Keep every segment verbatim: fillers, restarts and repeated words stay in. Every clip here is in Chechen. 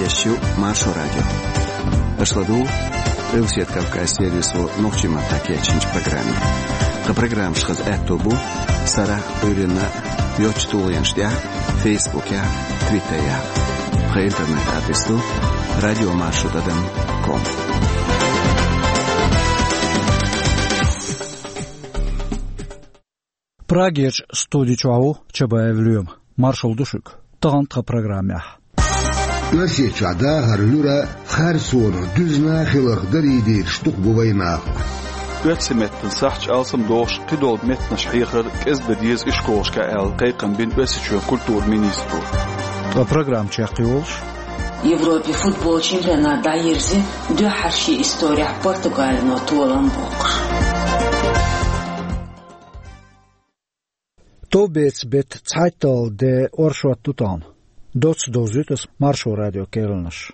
Шу Маршо радио. Аша ладугӀу Къилбаседа Кавказ сервисо нохчийн маттахь кечйинчу программе. Тхан программаш хаза аьтто бу сарахь а, Ӏуьйранна а йоцчу тулгӀенаш тӀехь а, Фейсбукехь а, Твиттерехь а. Тхан интернет-адрес ду радио маршо тӀадам ком. Прагерчу студи чохь ву Чабаев Лоьма. Маршалла ду шуьга. Тахана тхан программехь. Оьрсийчохь дахар луьра, Херсонах дуьзна хиларх дарийдийраш дукха бу вайн нахана. Оьрсийн меттан сахьташ алсамдохуш, кхидолу меттанаш хьехар кӀезга дан деза ишколашкахь аьлла, кхайкхам бина Оьрсийчоьнан культуран министро. Ткъа программа чекхйолуш: Европе футбол чемпионат дӀайирзи, дуьххьара шен исторехь Португалино толам боккхуш. Товбецан беттан цхьайтталгӀа де оршот ду тахана. Доцца довзуьйту ас Маршо радион керланаш.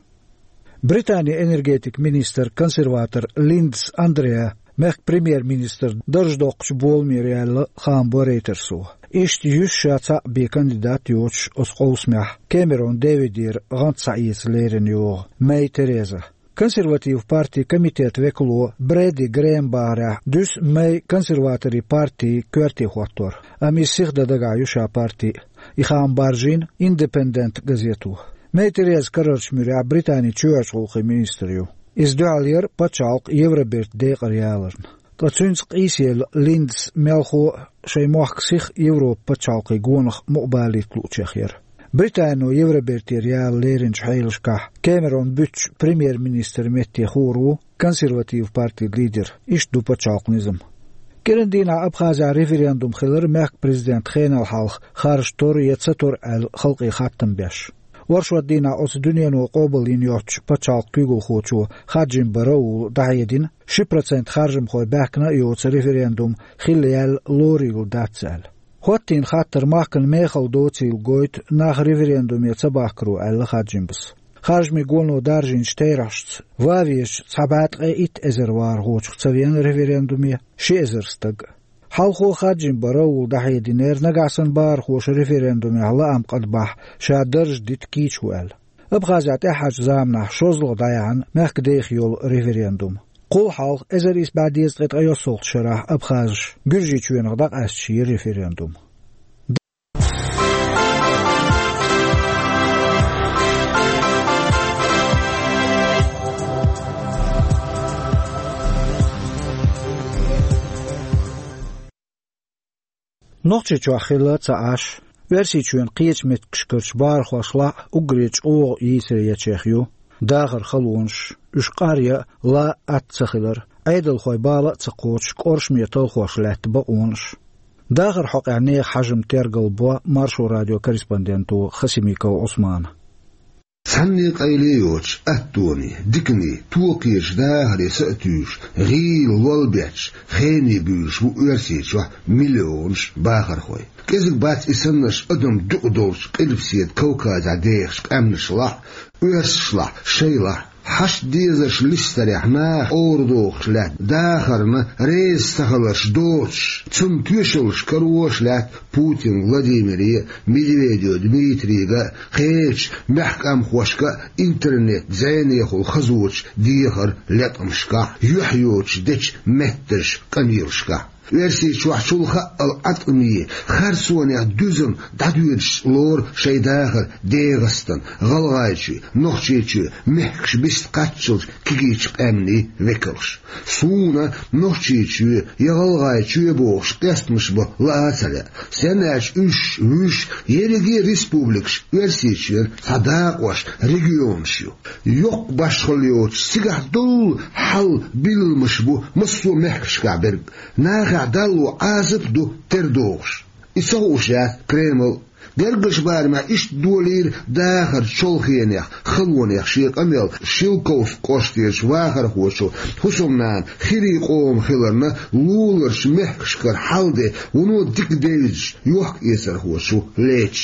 Британин энергетикан министр, консерватор Линдз Андреа мехкан премьер-министран дарж доккхучу боламера яьлла хаам бо Рейтерсо. Иштта юьсша цхьаъ бен кандидат йоцуш оцу къовсамехь Кэмерон Дэвидера гӀант схьаэца лерина йогӀу Мэй Тереза. Консерватив партин комитетан векало Брэди Грэм бахарехь, дуьсу Мэй консерваторийн парти коьрте хӀоттор, амма иза сиха дан дагахь ю ша парти а. И хаам баржийна Индепендент газето. Мэй Тереза карарчу муьрехь Британин чоьхьарчу гӀуллакхийн министр ю. Иза дуьхьал яра пачхьалкх Евробертан декъар яларна. Ткъа цуьнца къийсаелла Линдза мелхо а шайн мохк сиха Европан пачхьалкхийн гонах мукъабалийта луучех яра. Британо Евробертера яла леринчу хьелашкахь Кэмерон буьтучу премьер-министран метте хуур ву консерватив партин лидер, иштта ду пачхьалкхан низам. КӀиран дийнахь Абхазехь референдум хилар мехкан президентан хенал хьалха харжа тор я ца тор аьлла халкъе хаттам беш. Оршот дийнахь оцу дуьнено къобалйина йоцчу пачхьалкхан куьйгалхочо Хаджимба Раула дӀахьедина, ши процент харжамхой баьхкина а йоцу референдум хилла яьлла лорийла дац аьлла. ХӀоттийна хаттар махкана мехала доцийла гойту нах референдуме ца бахкаро аьлла Хаджимбас. Харжамийн гоно даржийначу терахьашца, ван везачу цхьа бӀе ткъе итт эзар вахархочух ца веана референдуме ши эзар стаг а. Хьалхо Хаджимба Раула дӀахьединера, нагахь санна бахархоша референдумехь лаам къадбахь, ша дарж дита кийча ву аьлла. Абхазехь тӀаьххьарчу заманахь шозлагӀа дӀаяьхьна мехкан деха йолу референдум. Кхул хьалха эзар исс бӀе дезткъе ткъайоьссалгӀачу шарахь абхазаша Гуьржийчоьнах дӀакъаьсташ яра референдум. Нохчийчохь хилла ца Ӏаш, Оьрсийчоьнан кхечу меттигашкарчу бахархошлахь а уггаре чӀогӀа йийсар ечех ю дахаран халонаш, уьш къар ян а, лан а атта ца хилар, Ӏедалхойн бала а ца кхочуш, кӀоршаме талхош лаьтта бакъонаш. Дахаран хьокъехь нехан хьажам тергал бо Маршо радион корреспонденто Хасимиков Ӏусмана. Цхьанне къайле а йоцуш, аттоне, дикане, токхечу дахаре са а туьйсуш, гӀийла лол бетташ, хене буьйлуш бу Оьрсийчохь миллионаш бахархой. КӀезиг бац и саннарш адам дукха долчу Къилбаседа Кавказехь дехачу къаьмнашлахь а, оьрсашлахь а, шайлахь а. Хьашт дезарш листарехь наха къоврадохуш лаьтта, дахарна реза ца хиларш доцуш, цунна тоьшаллаш карош лаьтта Путин Владимире а, Медведев Дмитрийга а, кхечу мехкан къаьмнашка а интернет-зӀенехула хазочу дехаран латкъамашкахь юьхь йоцуш дечу меттаршкан къамелашкахь. Оьрсийчохь чул хаъал Ӏаткъаме, Херсонехь дуьззина дӀадоьдуш лору шайн дахар ДегӀастан, ГӀалгӀайчоь, Нохчийчоь мехкаш биста кхаччалчу кегийчу къаьмнийн векалш. Суна Нохчийчоь я ГӀалгӀайчоь бохуш къестамаш бан лаа а ца лаьа. Стенна аьлча уьш, вуьш, ерриге республикаш Оьрсийчоьнан цхьа дакъош, регионаш ю. Йоккха башхалла йоцуш, цигахь долу хьал-билламаш бу массо а мехкашкахь берг. Нахехь далло Ӏазап а ду тера догӀуш. И ца хууш яц Кремль а. Гергарчу барамехь иштта долийра дахаран чолхенех, халонех шен къамел Шелковски кӀоштерчу вахархочо, хӀусамнана хирийн къоман хиларна, луларчу мехкашкара хьал-де вуно дика девзаш, йохка-эцархочо лецаш.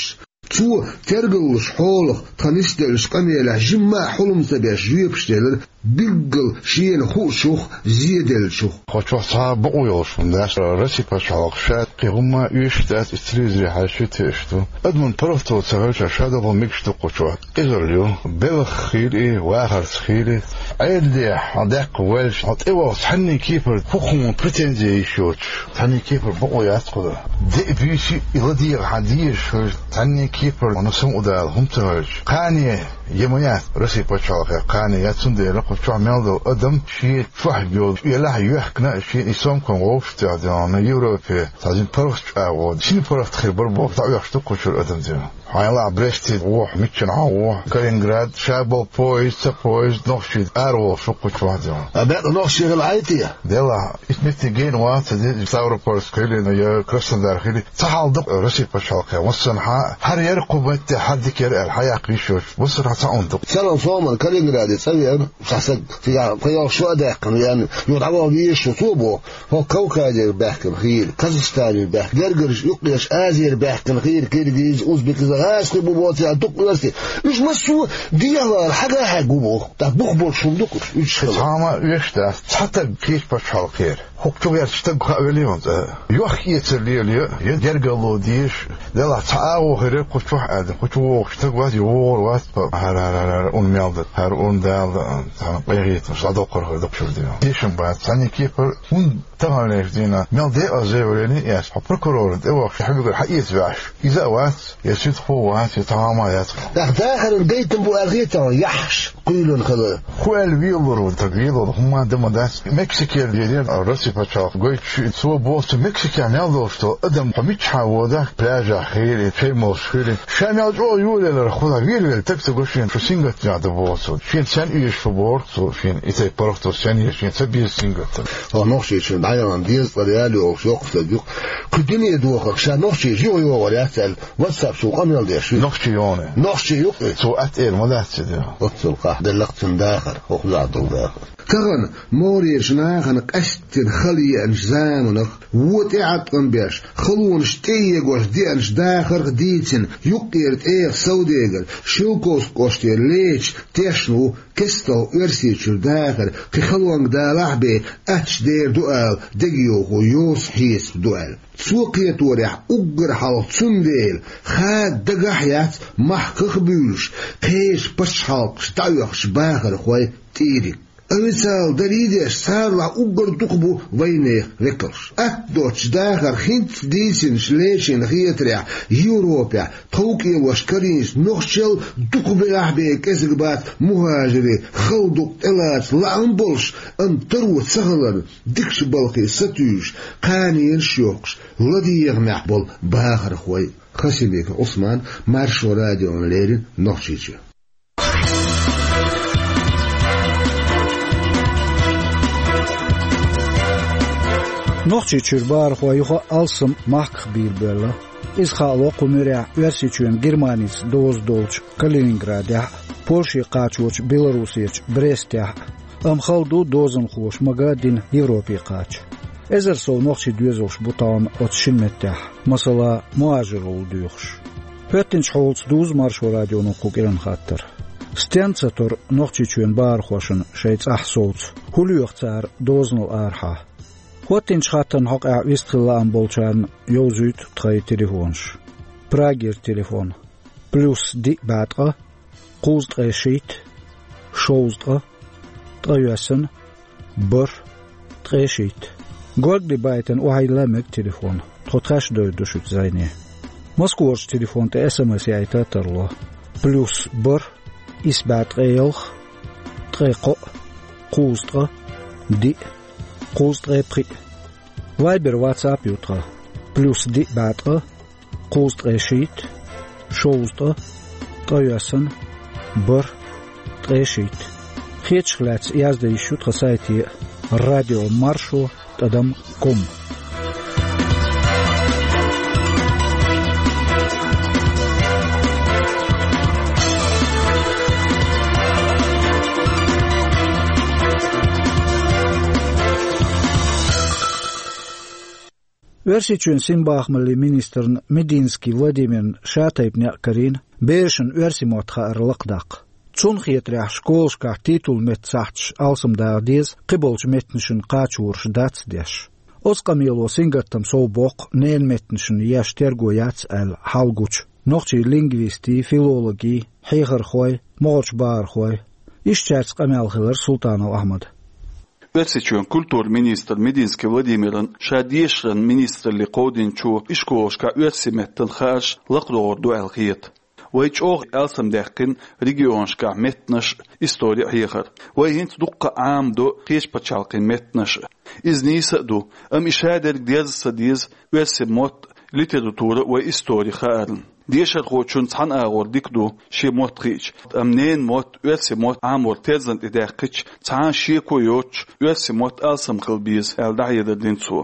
Цо тергаллаш хьолах тхан нисделлачу къамелехь жимма а хьулам ца беш жоьпаш делира, билггал шена хуучух, зеделлачух. Кху чохь цхьа а бакъо йолуш хӀума дац, Россин пачхьалкх шаьтта Кхин хӀумма оьшуш дац, и телевизоре хьаьшшийтта хеташ ду. Адаман паргӀато ца хилча, ша догӀу мегаш ду кху чу. Къизалла ю, белхах хийла и, вахарца хийла и. Ӏедалехь хьо даккха ваьлча, хьо тӀевахча, цхьанне кепара хӀокхунна претензи йиш йоцуш, цхьанне кепара бакъо яц кхуьнан. Де а, буьйса а и ладегӀа хьан дезаш хилча, цхьанне кепара хьуна самукъадала хӀума ца хилча, кхане я ма яц Росси пачхьалкхе, кхане яц, цундела кху чохь мел долу адам шен чохь йолу, елахь йоьхкина, шен и сомкам вовшахтоьхна, Европе цхьа дина паргӀат чӀагӀо, шина паргӀат хир бара боху, дӀаоьхуш ду кху чуьра адам дина. Хьайна лахь Бресте вохьа, миччана хьан вохьа, Калининград, ша болу поезд, ца поезд, нохчий араволуш ву кху чохь дина. А бакъ нохчий хила Ӏай те? Делахь, итт метте гена вац, ца де, Ставропольск хили, я Краснодар хили, ца хьал ду Росси пачхьалкхе, массанхьа, хӀара яра кху метте, хӀара дика яра аьлла, хьан яккха йиш йоцуш, массанхьа цхьа хӀума ду. Цхьана сома Калининграде цӀа веана, цхьа стаг, цигахь кхин йолуш шу а даьккхина веана, юха дӀаваха везаш ву, цо боху, хӀокху Кавказера баьхкина хийла, Казахстанера баьхкина, гергарчу юккъерчу Азера баьхкина хийла, киргиз, узбек, гӀазкхий бу боцу, дукха оьрсий. Уьш массо а дехьавала, хьагахьегна бу боху. ТӀаккха бух болуш хӀума ду кхуьш, уьш хила. Цхьа хӀума оьшуш дац, цхьа стаг кхечу пачхьалкхера. ХӀокху чу гӀертачу стаг хаа велий хьуна цкъа? Йохка-эцар лелайо, я гергарло дезаш, делахь цхьа агӀо хир яра кху чохь аьлла, кху чу вогӀуш стаг вац, я вогӀур вац, хӀара, хӀара, хӀара, хӀара, ун мел дан, хӀара, ун дала дан, цхьана къинхетамаш дӀадоккхур хир ду кху чуьра дина. Тешам бац, цхьанне кепара, хӀунда таханлерчу дийнахь мел декъаза валийна эс, хьо прокурорна тӀе вахча, хьан мегар хьаэца ваьхьаш, иза а вац, я суьдхо вац, я цхьа хӀума яц. ТӀаккха дахаран гайтам бу аьлла хетахь, яххьаш кхоьлина хила. ХӀун аьлла велалур ву, таг велалур, хӀумма дан ма дац. Мексикера дерриг Росси пачхьалкх гойтуш, цо боху, цу Мексикехь мел долуш долу адам, хьо миччахьа водахь, пляжахь хили, шайн молуш хили, ша мел чӀогӀа йолаеллара хӀума велавелла, таг ца го шена, шу сингаттамехь ду боху цо. Шена сен оьшуш ву боху цо, шена и тайпа паргӀато сен еза, шена ца беза сингаттам. Хьо нохчийчун дӀаяхана дезткъа реал йолуш йоккха стаг ю-кх. Кху дуьне дохарх ша нохчийчу юха йогӀур яц аьлла, WhatsApp чу къамел деш ю. Нохчи йоне. Нохчи ю-кх и. Цо атта эр ма дац ца де. Оццул къахьделла-кх цуьнан дахар, хӀокхузахь долу дахар. Тахана могӀарерчу нахана къаьсттина хала еанчу заманах, вон тӀеӀаткъам беш, халонаш тӀеэгош деанчу дахарх дийцина, юккъера тӀегӀа Савдегар, Шелковски кӀоштера Леча тешна ву, кестта Оьрсийчуьра дахар кхин халонга далахь а бен, аттачу дер ду ала, дегайовхо йоцу хьесап ду аьлла. Цо кхеторехь, уггар хьалха цундела, хада дагахь а яц махках а буьйлуш, кхечу пачхьалкхашка дӀаоьхучу бахархойн тӀийриг. Официалан дарий а деш, царалахь уггар дукха бу вайнехан векалш. Атта доцчу дахарх хӀинцца дийцинчу Лечин хетарехь, Европехь тховкӀелош карийначу нохчал дукха бегӀахь бен кӀезиг бац мухӀажирийн хала дукъ тӀелаца лаам болуш, амма таро ца хиларна, дикачу балхе сатуьйсуш, кханенаш а йоккхуш, ладегӀамехь болу бахархой. Хасимиков Ӏусман, Маршо радиона леррина, Нохчийчоь. Нохчийчуьра бахархой юха а алссам махках бийр боьлла. Иза хаало кху муьрехь Оьрсийчоьнан Германица доза долчу Калининградехь а, Польше кхачочу Белоруссерчу Брестехь а. Амма хала ду дозанхоша мага а дина Европе кхача. Эзар сов нохчий доьзалш бу тахана оцу шина меттехь, масала, мухӀажир гӀуллакх доьхуш. ХӀоьттинчу хьолаца дузу Маршо радионо кху кӀиран хаттар. Стенна ца тора Нохчийчоьнан бахархошна шайн цӀахь совца, хӀун лоьху цара дозанал арахьа? ХӀоьттинчу хаттарна хьокъехь вистхила лаам болчарна йовзуьйту тхайн телефонаш. Прагера телефон: плюс диъ бӀе ткъа, кхузткъе шийтта, шовзткъа, ткъайоьсна, бархӀ, ткъе шийтта. Горгали байтина охьайилла мега телефон. Тхо тхаьш а довр ду шуьца зӀене. Москварчу телефон тӀе СМС яйта а тарло. Плюс бархӀ, исс бӀе ткъе ялх, ткъе кхоъ, кхузткъа, диъ, кхузткъе пхиъ. Вайбер, ватсап ю тхан. Плюс диъ бӀе ткъа, кхузткъе шийтта, шовзткъа, ткъайоьсна, бархӀ, ткъе шийтта. Хетарх лаьцна яздан йиш ю тхан сайте а: радио маршо тӀадам ком. Оьрсийчоьнан синбахамаллин министрна Мединский Владимирна шатайпа некъ карийна берашна оьрсийн мотт хаар лакхадаккха. Цунна хетарехь, школашкахь титулан меттан сахьташ алсамдаха деза, кхиболчу меттанашна кхачораш дац деш. Оцу къамело сингаттам сов боккху ненан меттанашна еш терго яц аьлла хьал гучу нохчийн лингвистийн, филологийн, хьехархойн, могӀарерчу бахархойн. Иштта цаьрца къамел хилира Султанов Ахьмадан. Оьрсийчоьнан культуран министр Мединский Владимиран ша дешаран министралле кховдийначо ишколашкахь оьрсийн меттан хаарш лакхадогӀур ду аьлла хета. Вай чӀогӀа алсамдаьккхина регионашкахь меттанаш а, истори а хьехар. Вай хӀинца дуккха а Ӏамадо кхечу пачхьалкхийн меттанаш а. Иза нийса а ду, амма и шадерг дерза ца деза оьрсийн мотт а, литература а, вай истори хаарна. Дешархочун цхьана агӀор дика ду шен мотт хиъча, амма ненан мотт, оьрсийн мотт Ӏамор терзан тӀе даьккхича, цхьа а шеко йоцуш, оьрсийн мотт алсам хила беза, аьлла дӀахьедар дина цо.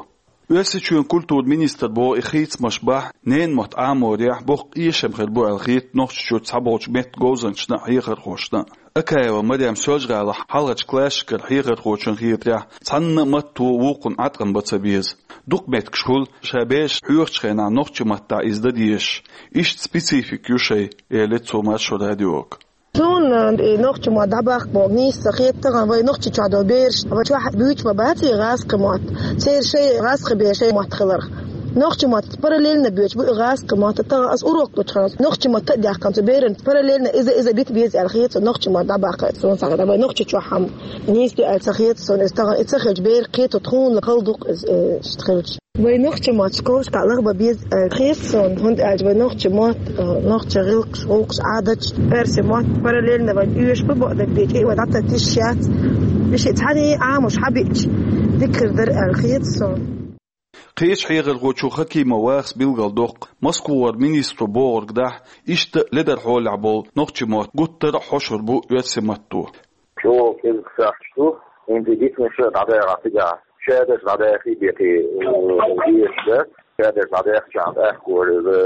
Оьрсийчоьнан культуран министр боху и хийцамаш бахь ненан мотт Ӏаморехь боккха эшам хир бу аьлла хета Нохчийчуьра цхьаболчу меттан говзанчашна а, хьехархошна а. Акаева Марем Соьлжа-ГӀалахь хьалхарчу классашкара хьехархочун хетарехь, цхьана а матто вукхунна Ӏаткъам бан ца беза. Дукха меттигаш хуьлу, ша бераш хьоьхучу хенахь нохчийн маттахь иза дан дезаш. Иштта специфика ю шайн, элира цо Маршо радиога. Суна и нохчийн мотт дӀабаккха боху нийса ца хета, тахана вай Нохчийчохь долу бераш, вай чохь буьйцуш ма бац и гӀазкхийн мотт. Церан шайн гӀазкхийн беран шайн мотт хиларх. Нохчийн мотт параллельно буьйцуш бу и гӀазкхийн мотт. Тахана ас урок лучу хьан нохчийн мотт а даьккхина цу беран параллельно иза, иза бита беза аьлла хета суна нохчийн мотт дӀабаккха. Суна ца хета, вай Нохчийчохь хьан нийса ю аьлла ца хета суна иза. Тахана и ца хилча беран кхетар тхуна хала ду-кх иза, э, иштта хилча. Вай нохчийн мотт школашкахь лахбан беза, э, хета суна, хӀунда аьлча вай нохчийн мотт, э, нохчийн гӀиллакхаш, гӀуллакхаш, Ӏадаташ, оьрсийн мотт параллельно вай оьшуш бу, бакъдерг дийцча, вай дӀа ца тешаш яц. И шиъ цхьаьний Ӏамош хьабиъча, дика хир дара аьлла хета суна. Кхечу хьехархочо Хакимов Вахас билгалдоккху, Москвара министро бохург дахь, иштта ледар хьолехь болу нохчийн мотт гуттар а хьошур бу оьрсийн матто. ЧӀогӀа кӀезиг сахьташ ду, хӀинца дитинарш а дӀадахьа цигахь, шадерш дӀадахьа бехке, э, дезаш дац, шадерш дӀадаьхча тӀаккха иза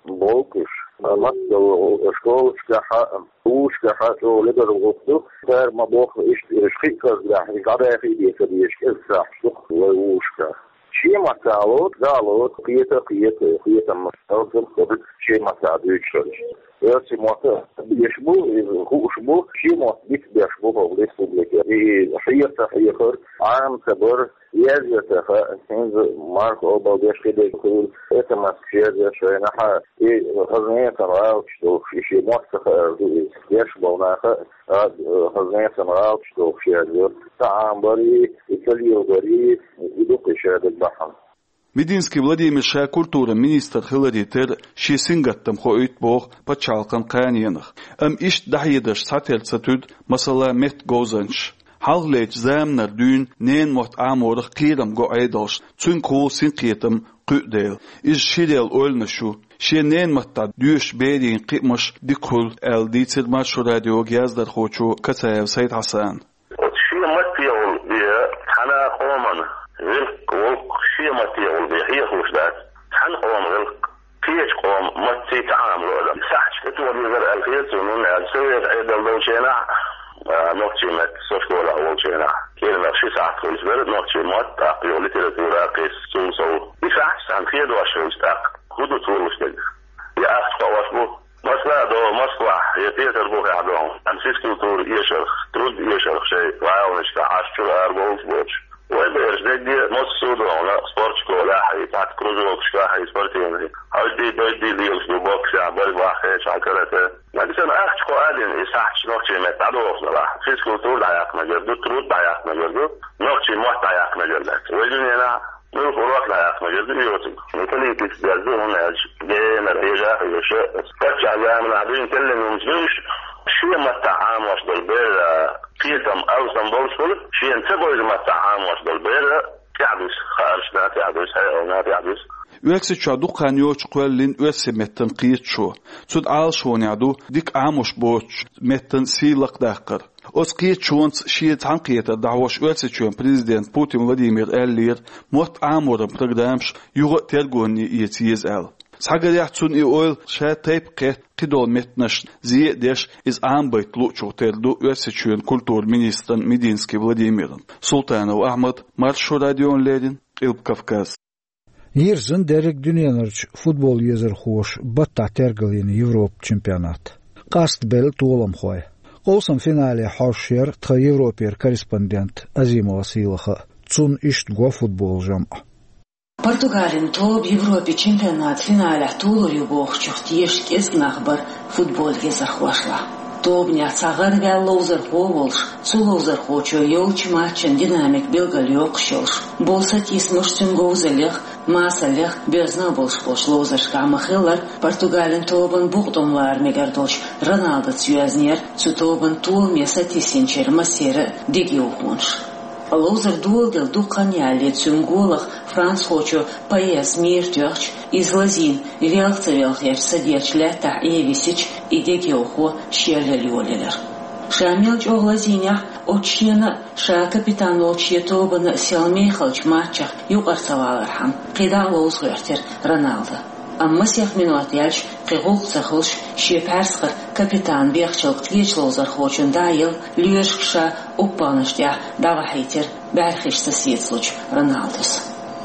болуш. Москвара школашкахь а, вузашкахь а чӀогӀа ледар гӀуллакх ду, цара ма бохху иштта, уьш кхин а кӀезиг дахь, иза дӀадахьа бен ца дезаш кӀезиг сахьташ ду вай вузашкахь. Шен маттахь лоцу, да, лоцу, кхета, кхета, кхетам, алсам хир ду шен маттахь дуьйцуш хилча. Оьрсийн мотт а деш бу, иза хууш бу, шен мотт бита беш бу хӀокху республике. И хьеха ца хьехар, Ӏама ца бар, язъян ца хаьа, хӀинца марха обал деш хи дерг хуьлу, эс эм эс-каш язъян шайна хьа, и хӀара нехан гӀалаташ долуш, и шен мотт ца хаар ду иза. Деш болу наха а, хӀара нехан гӀалаташ долуш язъян. Ца Ӏамабарий, и ца лелабарий, и ду-кх и шадерг бахьана. Мединский Владимир ша культуран министр хиларе терра шен сингаттам хоуьйту боху пачхьалкхан кханенах. Амма иштта дӀахьедарш цхьатерра ца туьду, масала, меттан говзанчаш. Хьалхалерчу заманара дуьйна ненан мотт Ӏаморах кхерам го Ӏедалшна, цуьнгахула синкхетам кхуьу дела. Иза ширъяла ойланаш ю. Шен ненан маттахь доьшучу берийн кхиамаш дика хуьлу, аьлла дийцира Маршо радиога яздархочо Кацаев Сайд-Хьасана. Оцу шен маттехула бен цхьана къоман гӀиллакх, волу шен маттехула бен хьехалуш дац цхьана къоман гӀиллакх, кхечу къоман маттаца Ӏамало адам. Сахьташ тӀетоха дезара аьлла хета суна, хӀунда аьлча совет Ӏедал долчу хенахь, а, нохчийн меттан со школехь волчу хенахь, кӀиранах ши сахьт хуьлуш дара нохчийн мотт, тӀаккха юха литература а кхиссина, цул сов. И сахьташ цхьаьна хедош хилча тӀаккха хӀун ду тхуна луш дерг? Я ахча кхоош бу? Масала а до Москвахь, я Петарбухехь до, амма физкультура эшарх, труд эшарх шайн гӀаланашкахь Ӏаш чуьра арабовлуш боцуш. Вай бераш дерриге массо а догӀна спортшколехь а, и цхьацца кружокашкахь а, и спортивный. Хьайдий-байдий лелаш ду боксехь, борьбахь, хечахь, карате. Нагахь санна ахча кхоа а дина, и сахьташ нохчийн меттан дӀадохуш далахь, физкультура дӀаяккха мегар ду, труд дӀаяккха мегар ду, нохчийн мотт дӀаяккха мегар дац. Вай дуьненахь муьлха урок дӀаяккха мегар ду, йоцург. Ну, политика дерг ду, хӀунда аьлча генара хьежа а хьоьжуш, паччахьан заманахь дуьйна теллина хӀуманаш ду уьш, шен маттахь Ӏамош долу бер, а, кхетам алсам болуш хуьлу, шена ца бевза маттахь Ӏамош долу бер, а, тӀаьхьадуьсу, хааршна тӀаьхьадуьсу, хьекъална тӀаьхьадуьсу. Оьрсийчохь дукха хан йоцуш кхоьллина оьрсийн меттан кхеташо. Цу тӀе Ӏалашонехь ду дика Ӏамош боцучу меттан сий лакхадаккхар. Оцу кхеташонца шен цхьаьнакхетар дӀахьош Оьрсийчоьнан президента Путин Владимира аьллера, мотт Ӏаморан программаш юха а тергонне эца еза аьлла. Цхьагарехь цунна и ойла ша тайпа кхетта кхидолу меттанашна зе а деш, иза Ӏамабайта луучух тера ду Оьрсийчоьнан культуран министран Мединский Владимиран. Султанов Ахьмад, Маршо радиона леррина, Къилба Кавказ. Йирзина дерриг дуьненарчу футбол езархоша баттахь тергалйина Европан чемпионат. Къастабелла толамхой. Къовсам финале хьожуш яра тхан Европера корреспондент Азимова Сийлаха а. Цунна иштта го футбол жамӀ. Португалин тоба Европин чемпионатан финалехь толур ю бохучух тешаш кӀезиг нах бара футбол езархошлахь. Тобанехь цхьа гӀараваьлла ловзархо а волуш, цу ловзархочо йолчу матчан динамика билгалйоккхуш йолуш, болу сатийсамаш цуьнан говзаллех, масаллех боьзна а болуш болчу ловзаршкахь ма-хиллара, Португалин тобанан букъ тӀом лара мегар долуш Роналдос йоьзнера цу тобанан толаме сатийсинчеран массеран а дегайовхонаш. Ткъа ловзар доладелла дукха хан ялале цуьнан голах францхочо Паеза мийра тоьхча, иза лазийна велха ца велхарчу садерчу лаьттахь Ӏен висича, и дегайовхо шел яла йолаелира. Ша мел чӀогӀа лазийнехь а, оцу шена а, ша капитан волчу шен тобанна а сел мехалчу матчах юкъара ца валархьама, кхидӀа а ловза гӀоьртира Роналдо. Амма масех минот яьлча, кхин гӀуллакх ца хуьлуш, шен пхьаьрсхара капитан бехачул кхечу ловзархочунна дӀа а елла, лоьрашка ша уппалнаш тӀехь дӀавахьийтира, бӀаьрхиш ца сецалучу Роналдос.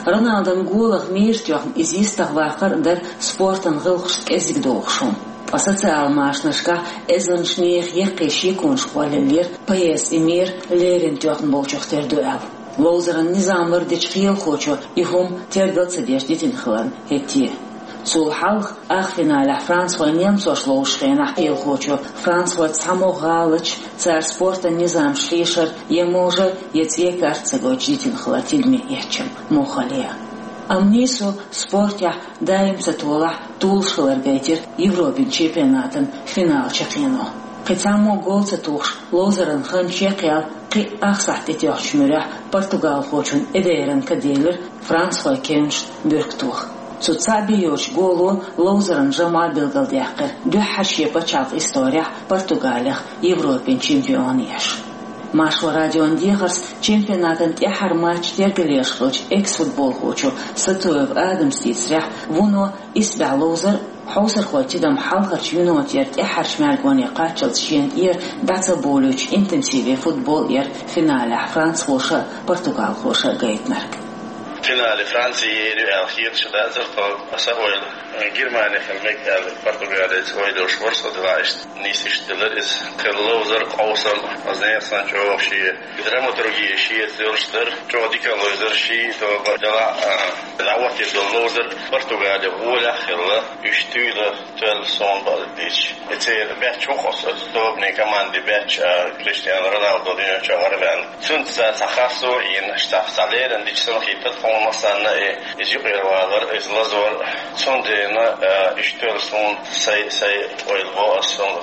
Роналдон голах мийра тоьхна иза йистах ваккхар а дара спортан гӀиллакхашца кӀезиг догӀуш хӀума. Ткъа социалан машанашкахь эзарнаш нехан яккхий шеконаш кхоллаеллера, Паеза и мийра леррина тоьхна болчух тера ду аьлла. Ловзаран низам лардечу кхелахочо и хӀума тергал ца деш дитина хиларна хӀетте а. Цул хьалха, ах финалехь францхой немцошна ловзучу хенахь, кхелахочо францхой цхьаммо гӀалаташ, цара спортан низамаш хьешар я можар, я цӀе карт ца гойтуш дитина хилар тидаме эцча муххале а. Амма нийсо спортехь даим ца толахь, толуш хилар гайтира Европин чемпионатан финал чаккхено. Кхин цхьаммо гол ца тухуш, ловзаран хан чекхъяьлла, кхин а ах сахьт тӀетоьхначу муьрехь португалхочун эдеран ка делира францхойн кевнашна буьркатоха. Цу цхьаъ бен йоцучу голо ловзаран жамӀа билгалдаьккхира дуьххьара шен пачхьалкхан исторехь Португалех Европин чемпион еш. Маршо радион дехарца чемпионатан тӀаьххьара матч тергалъеш хиллачу экс-футболхочо Сатоев Адамас дийцарехь, вуно исбаьхьа ловзар а, хьовсархойн тидам хьалхарчу минотера тӀаьххьарчу маьргоне кхаччалц шена тӀера дӀа ца бовлуьйтуш интенсиве футбол яра финалехь францхоша а, португалхоша а гайтинарг. Финале Франци ер ю аьлла хеташ дацара тхо, аса ойла. Германи хила мега аьлла, Португалица ойла йолуш вара со делахь иштта. Нийса иштта делира иза. Кхин ловзар, къовсам, аса нехан санна чӀогӀа шен драматурги шеца йолуш дара. ЧӀогӀа дика ловзар ши тоба делахь, а, дӀахӀоттийна долу ловзар Португали гӀолехь а хилла, уьш туьйла тоьлла суна бакъдерг дийцича. И церан баьчча ву-кх оцу тобанийн командин баьчча, а, Криштиану Роналдо дуьнен чу гӀараваьлла. Цуьнца цхьа харцо а йина, цхьа, цхьа лерина дича санна хетара тхуна массарна а, и иза юкъера валар, иза лазор. Цундела, а, уьш тоьлла суна сайн, сайн ойла бо аса, суна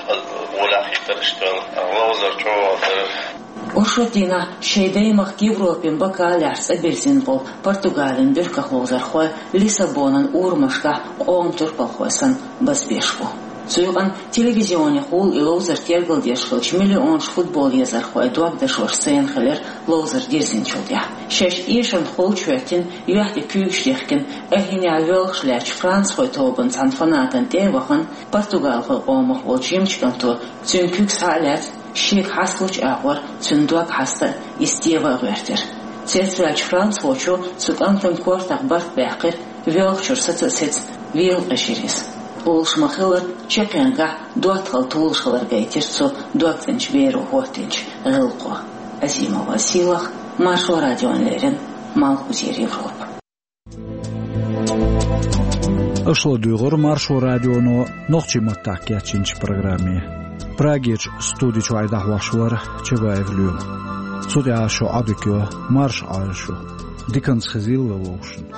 гӀолехь а хетара уьш тоьлла. Ловзар чӀогӀа дара. Оршот дийнахь шайн даймахка Европин бакаллехь цӀа бирзина болу Португалин буьрках ловзархой Лиссабонан урамашкахь къоман турпалхой санна базбеш бу. Цу юкъана телевизионехула и ловзар тергалдеш хиллачу миллионаш футбол езархойн дог дашош сайна хилира ловзар дирзинчул тӀаьхьа. Шаьш эшарна холчу хӀоьттина, юьхь тӀе куьйгаш дихкина, айхьа йина воьлхуш лаьттачу францхойн тобанан цхьана фанатана тӀе а вахана, португалхойн къомах волчу жимачу кӀанто цуьнан куьг схьа а лаьцна, шега хьасталучу агӀор цуьнан дог хьаста а, иза тева а гӀоьртира. Цецваьллачу францхочо цу кӀантан кортах барт баьккхира, воьлхучуьра саца а сецна, вела къежира иза. Олуш ма-хиллара, чаккхенгахь доттагӀалла толуш хилар гайтира цу догцӀеначу беро хӀоттийначу гӀиллакхо. Азимова Силах, Маршо радиона леррина, Малхбузера Европа. Аша ладуьйгӀира Маршо радионо нохчийн маттахь кечйинчу программе. Прагерчу студи чуьра дӀахьош вара Чабаев Лоьма. Цу тӀехь шун Ӏадика йо, марша Ӏойла шу. Диканца хезийла вовшашна.